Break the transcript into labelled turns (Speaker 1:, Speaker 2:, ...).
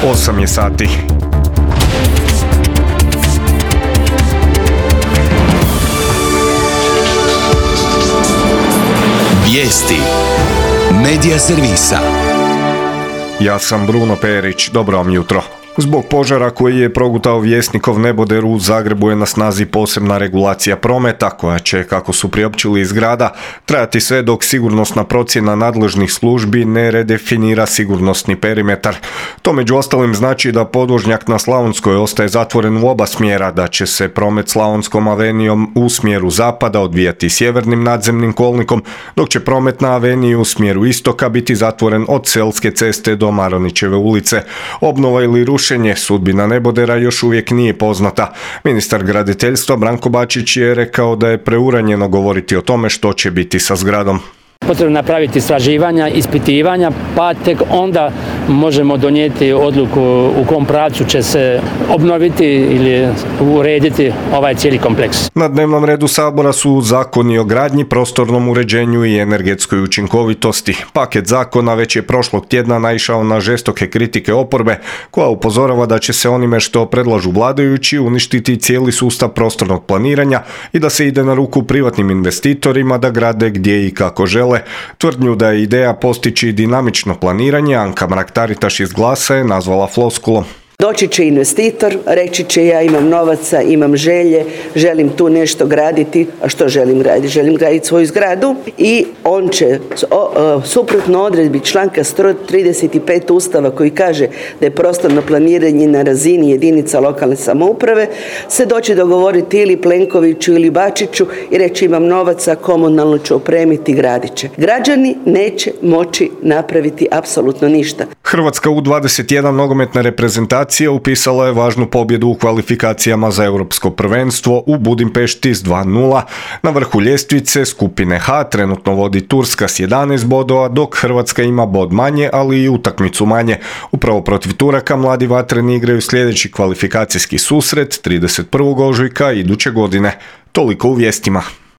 Speaker 1: 8 je sati.
Speaker 2: Vijesti Medija servisa.
Speaker 1: Ja sam Bruno Perić, dobro vam jutro. Zbog požara koji je progutao Vjesnikov neboder u Zagrebu je na snazi posebna regulacija prometa koja će, kako su priopćili iz grada, trajati sve dok sigurnosna procjena nadležnih službi ne redefinira sigurnosni perimetar. To među ostalim znači da podvožnjak na Slavonskoj ostaje zatvoren u oba smjera, da će se promet Slavonskom avenijom u smjeru zapada odvijati sjevernim nadzemnim kolnikom, dok će promet na aveniji u smjeru istoka biti zatvoren od Selske ceste do Maronićeve ulice. Obnova ili rušenje sudbina nebodera još uvijek nije poznata. Ministar graditeljstva Branko Bačić je rekao da je preuranjeno govoriti o tome što će biti sa zgradom.
Speaker 3: Potrebno napraviti istraživanja, ispitivanja, pa tek onda možemo donijeti odluku u kom pravcu će se obnoviti ili urediti ovaj cijeli kompleks.
Speaker 1: Na dnevnom redu Sabora su zakoni o gradnji, prostornom uređenju i energetskoj učinkovitosti. Paket zakona već je prošlog tjedna naišao na žestoke kritike oporbe, koja upozorava da će se onime što predlažu vladajući uništiti cijeli sustav prostornog planiranja i da se ide na ruku privatnim investitorima da grade gdje i kako žele. Tvrdnju da je ideja postići dinamično planiranje Anka Mrak-Taritaš iz Glasa je nazvala floskulom.
Speaker 4: Doći će investitor, reći će ja imam novaca, imam želje, želim tu nešto graditi. A što želim graditi? Želim graditi svoju zgradu i on će, suprotno odredbi članka 135 Ustava koji kaže da je prostorno planiranje na razini jedinica lokalne samouprave, se doći dogovoriti ili Plenkoviću ili Bačiću i reći imam novaca, komunalno ću opremiti, gradit će. Građani neće moći napraviti apsolutno ništa.
Speaker 1: Hrvatska U21 nogometna reprezentacija upisala je važnu pobjedu u kvalifikacijama za europsko prvenstvo u Budimpešti s 2:0. Na vrhu ljestvice skupine H trenutno vodi Turska s 11 bodova, dok Hrvatska ima bod manje, ali i utakmicu manje. Upravo protiv Turaka mladi vatreni igraju sljedeći kvalifikacijski susret 31. ožujka iduće godine. Toliko u vijestima.